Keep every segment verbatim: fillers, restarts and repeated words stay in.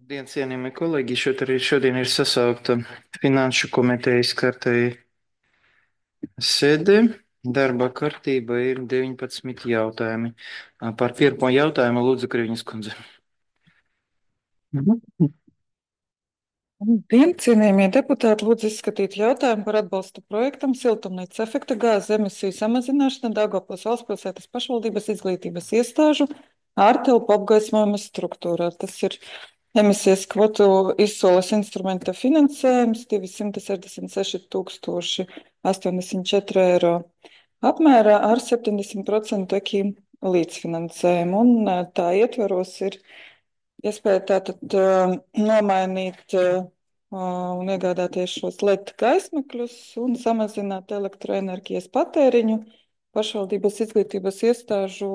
Labdien, cienījamie kolēģi! Šeit arī šodien ir sasaukta Finanšu komitejas kārtēji sēde. Darba kārtība ir deviņpadsmit jautājumi. Par pirmo jautājumu lūdzu Kriviņas kundze. Mhm. Labdien, cienījamie deputāti, lūdzu izskatīt jautājumu par atbalstu projektam Siltumnīcas efekta gāzes emisiju samazināšana Daugavpils valstspilsētas pašvaldības izglītības iestāžu ārtelpu apgaismojuma struktūrā. Tas ir emisijas kvotu izsoles instrumenta finansējums divsimt sešdesmit seši tūkstoši astoņdesmit četri eiro apmērā ar septiņdesmit procentu ekim līdzfinansējumu. Un ā, tā ietvaros ir iespēja tātad ā, nomainīt ā, un iegādāties šos L E D gaismakļus un samazināt elektroenerģijas patēriņu pašvaldības izglītības iestāžu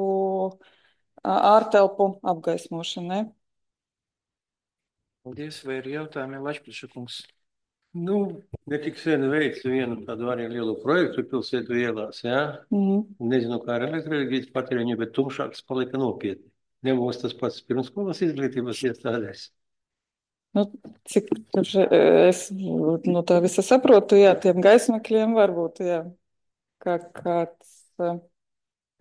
ā, ārtelpu apgaismošanai. Paldies, vai ir jautājumi, Lašpliša-kungs? Nu, ne tik sen veicu vienu tādu arī lielu projektu pilsētu ielās, jā. Mhm. Nezinu, kā ar elektroenerģijas patēriņu, bet tumšāks palika nopietni. Nebūs tas pats pirmsskolas izglītības iestādēs. Nu, cik tur es no tā visa saprotu, jā, tiem gaismakļiem varbūt, jā, kā kāds. ā,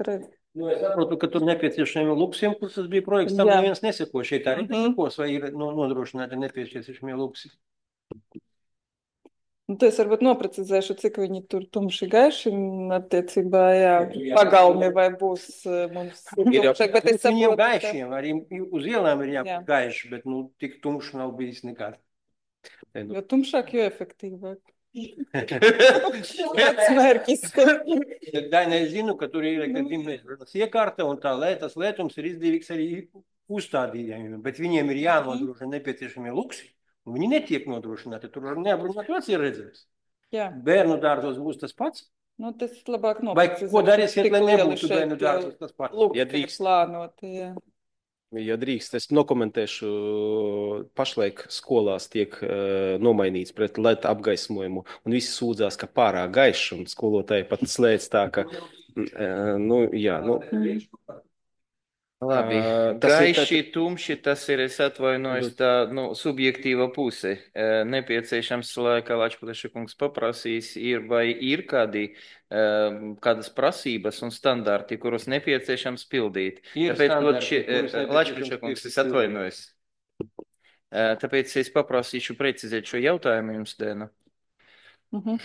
re- Nu, es saprotu, ka tur nepieciešami luksiem, kur tas bija projekts, tam Jā. neviens neseko. Šeit arī Mhm. nesekos, vai ir no- nodrošināti nepieciešamie luksi. Nu, to es varbūt noprecizēšu, cik viņi tur tumši gaiši un attiecībā, jā, Jā. pagalmi vai būs ā, mums Ir jau tumšāk, bet es viņiem saprotu, ka gaišiem, arī uz ielām ir Jā. jābūt gaiši, bet nu, tik tumši nav bijis nekad. Te nu. jo tumšāk, jo efektīvāk. Tāds mērķis. Daina, es zinu, ka tur ir dimensijas iekārta un tā lē, tas lētums ir izdevīgs arī uzstādījumiem, bet viņiem ir jānodrošina nepieciešamie luksi, un viņi netiek nodrošināti. Tur var neapbrunāt veci ir redzēs. Jā, Bērnu dārzos būs tas pats? nu tas labāk Vai noprecizēšu, ko darīsiet, cik lai lieli nebūtu šeit, bērnu ā, dārzos tas pats? lukti Ja ir drīkst. plānoti, jā. Ja drīkst, es nokomentēšu, pašlaik skolās tiek uh, nomainīts pret L E D apgaismojumu, un visi sūdzās, ka pārāk gaišs, un skolotāji pat slēdz tā, ka, uh, nu, jā, nu, Labi, Ā, tas ir gaiši, tumši, tas ir, es atvainojos, tā, nu, subjektīva puse. Ē, Nepieciešams, lai, kā Lačpliša-kungs paprasīs, ir vai ir kādi, ē, kādas prasības un standarti, kurus nepieciešams pildīt. Ir Tāpēc, vot, standarti, šie, kurus ē, nepieciešams Lačpliša-kungs, es pildīt. atvainojos. Ē, Tāpēc es paprasīšu precizēt šo jautājumu jums, Dēna. Mhm.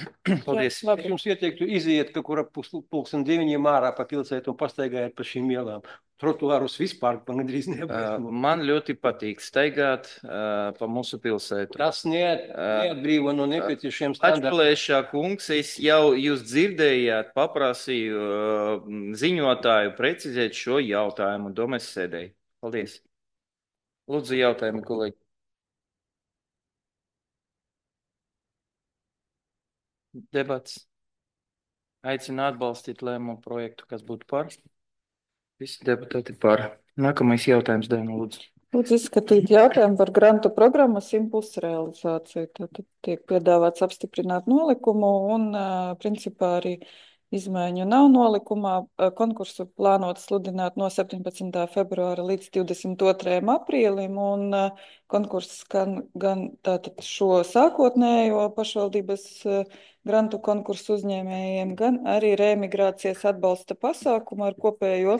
Paldies. Jā, labi. Es jums ieteiktu iziet kaut kur ap pus- pulksten deviņiem ārā pa pilsētu un pastaigājiet pa šīm ielām. Trotuārus vispār pa gandrīz Ā, neapgaismo. Man ļoti patīk staigāt ā, pa mūsu pilsētu. Tas neat, neatbrīvo no nepieciešiem standartiem. Atplēšā kungs, es jau jūs dzirdējāt, paprasīju uh, ziņotāju precizēt šo jautājumu, domāju, sēdēju. Paldies. Lūdzu, jautājumu, kolēģi. Debats. Aicinu atbalstīt lēmumu projektu, kas būtu par. Visi deputāti par. Nākamais jautājums, Dēna, lūdzu. Lūdzu izskatīt jautājumu par grantu programmas impulsu realizāciju. Tātad tiek piedāvāts apstiprināt nolikumu un, ā, principā, arī izmaiņu nav nolikumā. Ā, Konkursu plānot sludināt no septiņpadsmitā februāra līdz divdesmit otrajam aprīlim, un ā, konkurss gan, gan tātad šo sākotnējo pašvaldības ā, grantu konkursu uzņēmējiem, gan arī reemigrācijas atbalsta pasākumu ar kopējo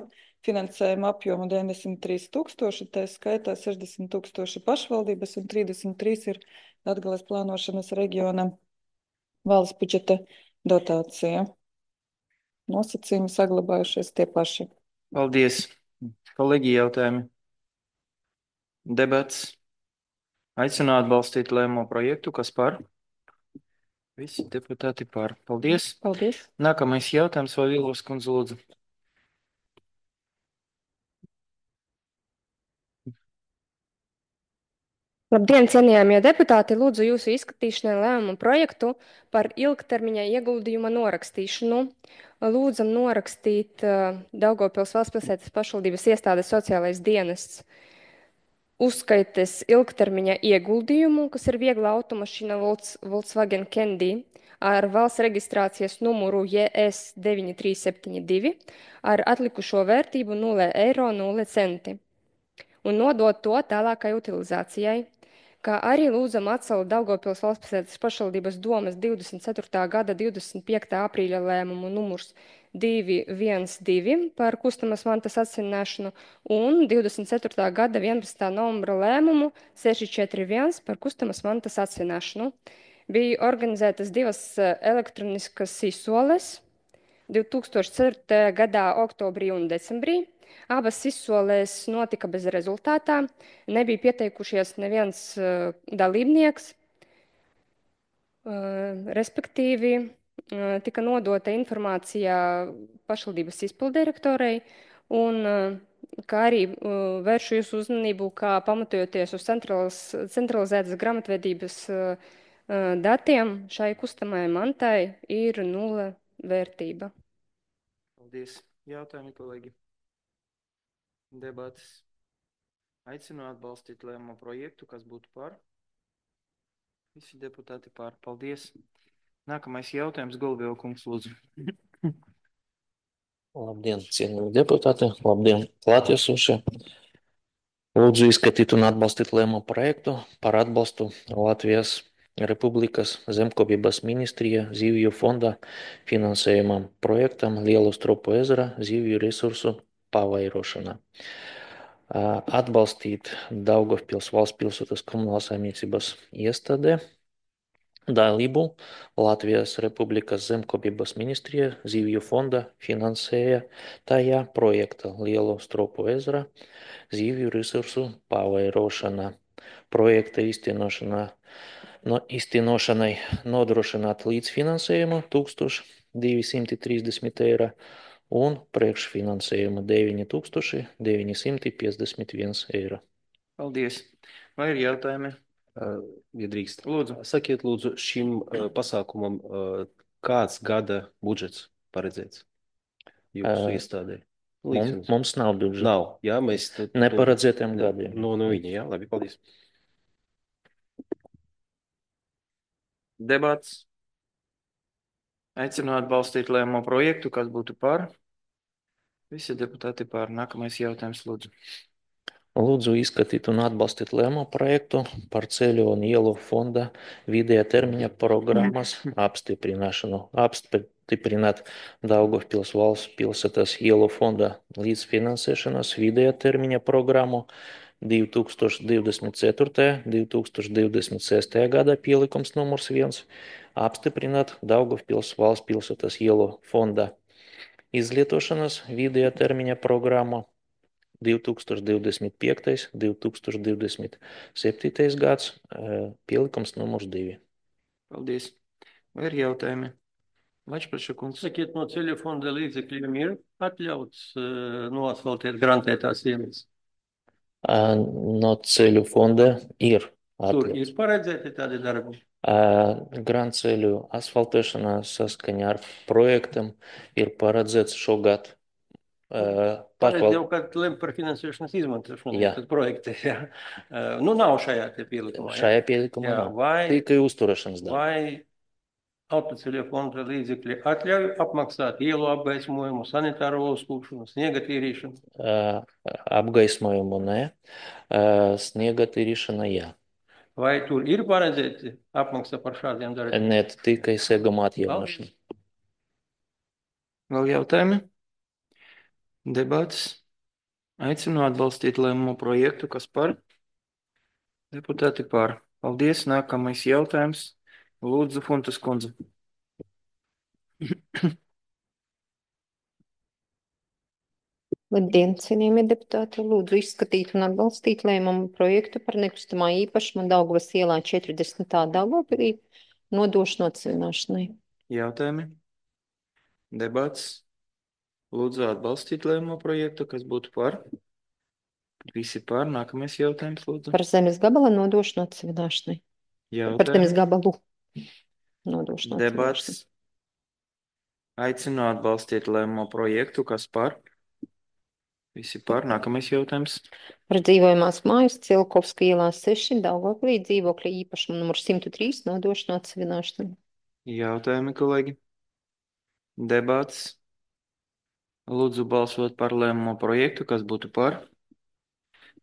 finansējuma apjomu deviņdesmit trīs tūkstoši, tā skaitā sešdesmit tūkstoši pašvaldības un trīsdesmit trīs ir Latgales plānošanas reģiona valsts budžeta dotācija. Nosacījumi saglabājušies tie paši. Paldies. Kolēģi, jautājumi. Debats. Aicinu atbalstīt lēmumu projektu, kas par. Visi deputāti par. Paldies. Paldies. Nākamais jautājums, vai Vilos kundze lūdzu. Labdien, cienījamie deputāti! Lūdzu jūsu izskatīšanai lēmumu projektu par ilgtermiņa ieguldījuma norakstīšanu. Lūdzam norakstīt uh, Daugavpils valstspilsētas pašvaldības iestādes sociālais dienests uzskaites ilgtermiņa ieguldījumu, kas ir viegla automašīna Volks- Volkswagen Candy ar valsts reģistrācijas numuru J S deviņi trīs septiņi divi ar atlikušo vērtību nulle eiro nulle centi. un nodot to tālākai utilizācijai, kā arī lūdzam atcelt Daugavpils valstspilsētas pašvaldības domes divdesmit ceturtā gada divdesmit piektā aprīļa lēmumu numurs divi viens divi par kustamas mantas atsināšanu un divdesmit ceturtā gada vienpadsmitā novembra lēmumu seši četri viens par kustamas mantas atsināšanu. Bija organizētas divas elektroniskas izsoles divi tūkstoši ceturtajā gadā oktobrī un decembrī. Abas izsolēs notika bez rezultātā. Nebija pieteikušies neviens uh, dalībnieks. Uh, respektīvi, uh, tika nodota informācija pašvaldības izpildirektorei, un uh, kā arī uh, vēršu jūsu uzmanību, kā pamatojoties uz centralizētas grāmatvedības uh, uh, datiem, šai kustamai mantai ir nula vērtība. Paldies. Jautājumi, kolēģi. Debates. Aicinu atbalstīt lēmumu projektu, kas būtu par. Visi deputāti par. Paldies. Nākamais jautājums, Golubjova kungs, lūdzu. Labdien, cienījami deputāti, labdien, klātiesošie. Lūdzu izskatīt un atbalstīt lēmumu projektu par atbalstu Latvijas Republikas zemkopības ministrija zivju fonda finansējumam projektam Lielo Stropu ezera zivju resursu pavairošana. Atbalstīt Daugavpils valsts pilsētas komunālās saimniecības iestādē dalību Latvijas Republikas zemkopības ministrija zivju fonda finansēja tajā projekta Lielo Stropu ezera zivju resursu pavairošana. Projekta īstenošanā No iztienošanai nodrošināt līdzfinansējumu tūkstoš divi simti trīsdesmit eiro un priekšfinansējumu deviņi tūkstoši deviņi simti piecdesmit viens eiro. Paldies. Vai ir jautājumi? Uh, ja drīkst. Lūdzu. Sakiet, lūdzu, šim uh, pasākumam uh, kāds gada budžets paredzēts jūsu Uh, iestādē? Mums, mums nav budžeta. Nav, jā, mēs... Tad, Neparedzētiem no, gadiem. No, no viņa, jā, labi, paldies. Debats. Aicinu atbalstīt lēmumu projektu, kas būtu par. Visi deputāti par. Nākamais jautājums, lūdzu. Lūdzu izskatīt un atbalstīt lēmumu projektu par ceļu un ielu fonda vidējā termiņa programmas apstiprināšanu. Apstiprināt Daugavpils valsts pilsētas ielu fonda līdzfinansēšanas vidējā termiņa programmu divi tūkstoši divdesmit ceturtajā - divi tūkstoši divdesmit sestajā gadā pielikums numurs viens. Apstiprināt Daugavpils valsts pilsētas ielu fonda izlietošanas vidējā termiņa programmu divi tūkstoši divdesmit piektais - divi tūkstoši divdesmit septītais gads, pielikums numurs divi. Paldies. Vai ir jautājumi? Vačplaša kungs. Sakiet, no ceļu fonda līdzekļiem ir atļauts uh, noasfaltēt grantētās ielas? No ceļu fonda ir Tur atļauts. ir paredzēti tādi darbi? Grantceļu asfaltēšanā saskaņā ar projektam ir paredzēts šogad. Pareizi jau, kad lem par finansēšanas izmantošanu, tad projekti, jā. Nu, nav šajā te pielikumā. Šajā pielikumā jā, nav. Vai, tikai uzturēšanas darbi. Vai autoceļu fonda līdzekļi atļauj apmaksāt ielu apgaismojumu, sanitāro uzkūpšanu, sniega tīrīšanu? Apgaismojumu nē, sniega tīrīšana jā. Vai tur ir paredzēti apmaksa par šādiem darbiem? Nē, tikai seguma atjaunošana. Vēl jautājumi? Debats. Aicinu atbalstīt lēmumu projektu, kas par. Deputāti par. Paldies. Nākamais jautājums. Lūdzu, Funtas kundze. Labdien, cienījamie deputāti. Lūdzu izskatīt un atbalstīt lēmumu projektu par nekustamā īpašuma Daugavas ielā četrdesmitā Daugavpilī nodošanu atsevināšanai. Jautājumi? Debats. Lūdzu atbalstīt lēmumu projektu, kas būtu par. Visi par. Nākamais jautājums, lūdzu. Par zemes gabala nodošanu atsevināšanai. Jautājumi? Par zemes gabalu nodošanu atsevināšanai. Debats. Aicinu atbalstīt lēmumu projektu, kas par. Visi par. Nākamais jautājums. Par dzīvojamās mājas Cilkovska ielā seši Daugavpilī dzīvokļa īpašuma numur simt trīs nodošanu atsevināšanai. Jautājumi, kolēģi? Debats. Lūdzu balsot par lēmumu projektu, kas būtu par.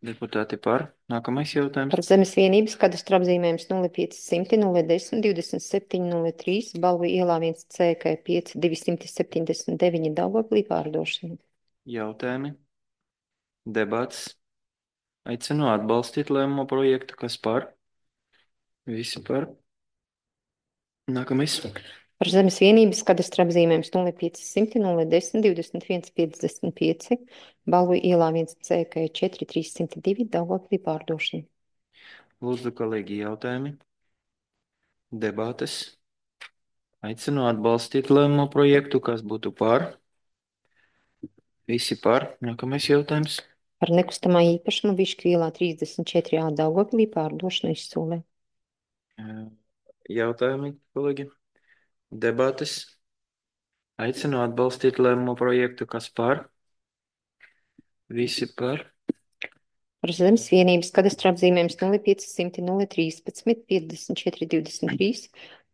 Deputāti par. Nākamais jautājums. Par zemes vienības kadastra apzīmējums nulle pieci simti nulle desmit divdesmit septiņi nulle trīs Balvu ielā viens C K pieci divsimt septiņdesmit deviņi Daugavpilī pārdošana. Jautājumi. Debats. Aicinu atbalstīt lēmumu projektu. Kas par? Visi par. Nākamais. Par zemes vienības kadastra apzīmējums nulle pieci simti nulle desmit divdesmit viens piecdesmit pieci Balvu ielā viens C K četri trīssimt divi Daugavpilī pārdošana. Lūdzu, kolēģi, jautājumi. Debates. Aicinu atbalstīt lēmumu projektu. Kas būtu par? Visi par. Nākamais jautājums. Par nekustamā īpašumu Višķu ielā trīsdesmit četri A Daugavpilī pārdošana izsolē. Jautājumi, kolēģi. Debates. Aicinu atbalstīt lēmumu projektu. Kas par? Visi par. Par zemes vienības kadastra apzīmējums nulle pieci simti nulle trīspadsmit piecdesmit četri divdesmit trīs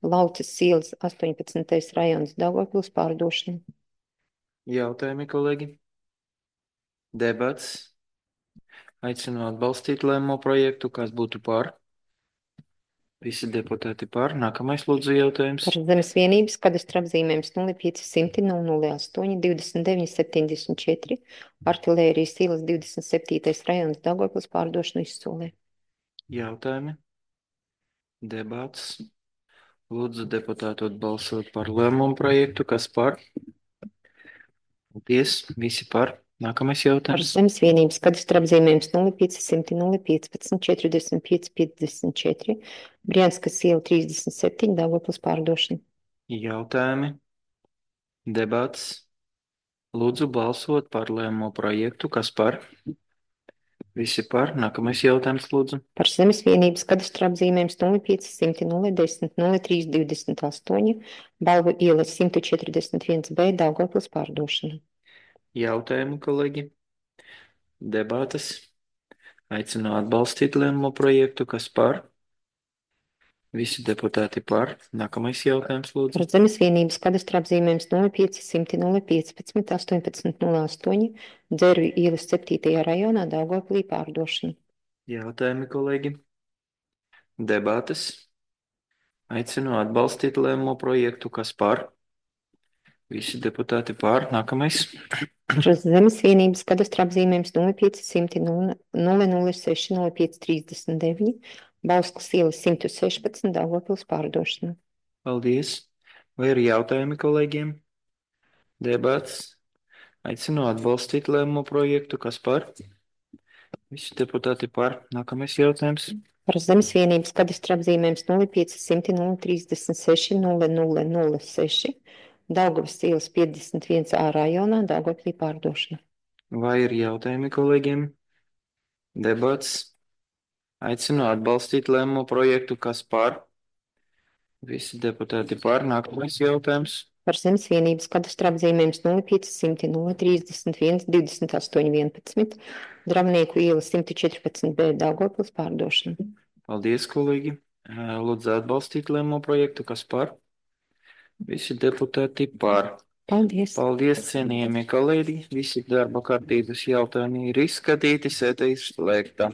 Lauces ielas astoņpadsmitais rajons Daugavpils pārdošana. Jautājumi, kolēģi. Debats. Aicinu atbalstīt lēmumu projektu. Kas būtu par? Visi deputāti par. Nākamais lūdzu jautājums. Par zemes vienības kadastra apzīmējums nulle pieci simti nulle nulle astoņi divdesmit deviņi septiņdesmit četri Artilērijas ielas divdesmit septītais rajons Daugavpils pārdošana izsolē. Jautājumi. Debats. Lūdzu deputātu atbalsot par lēmumu projektu. Kas par? Paldies. Visi par. Nākamais Par jautājums. zemes vienības kadastra apzīmējums nulle pieci simti nulle piecpadsmit četrdesmit pieci piecdesmit četri Brianskas iela trīsdesmit septiņi Daugavpils pārdošana. Jautājumi. Debats. Lūdzu balsot par lēmumu projektu. Kas par? Visi par. Nākamais jautājums, lūdzu. Par zemes vienības kadastra apzīmējums nulle pieci simti nulle desmit nulle trīs divdesmit astoņi Balvu iela simt četrdesmit viens B Daugavpils pārdošana. Jautājumi, kolēģi. Debates. Aicinu atbalstīt lēmumu projektu. Kas par? Visi deputāti par. Nākamais jautājums, lūdzu. Par zemes vienības kadastra apzīmējums nulle pieci simti nulle piecpadsmit astoņpadsmit nulle astoņi Dzervju ielas septītajā rajonā Daugavpilī pārdošana. Jautājumi, kolēģi. Debates. Aicinu atbalstīt lēmumu projektu. Kas par? Visi deputāti par. Nākamais. Par zemes vienības kadastra apzīmējums nulle pieci simti nulle nulle seši nulle pieci trīsdesmit deviņi Bauskas ielas simt sešpadsmit Daugavpils pārdošana. Paldies. Vai ir jautājumi kolēģiem? Debats. Aicinu atbalstīt lēmumu projektu. Kas par? Visi deputāti par. Nākamais jautājums. Par zemes vienības kadastra apzīmējums nulle pieci simti nulle trīsdesmit seši nulle nulle nulle seši Daugavas ielas piecdesmit viens A rajonā Daugavpilī pārdošana. Vai ir jautājumi kolēģiem? Debats. Aicinu atbalstīt lēmumu projektu. Kas par? Visi deputāti par. Nākamais jautājums. Par zemes vienības kadastra apzīmējums nulle pieci simti nulle trīsdesmit viens divdesmit astoņi vienpadsmit Dravnieku iela simt četrpadsmit B Daugavpils pārdošana. Paldies, kolēģi. Lūdzu atbalstīt lēmumu projektu. Kas par? Visi deputāti par. Paldies. Paldies, cienījamie kolēģi. Visi darba kārtības jautājumi ir izskatīti, sēde izslēgta.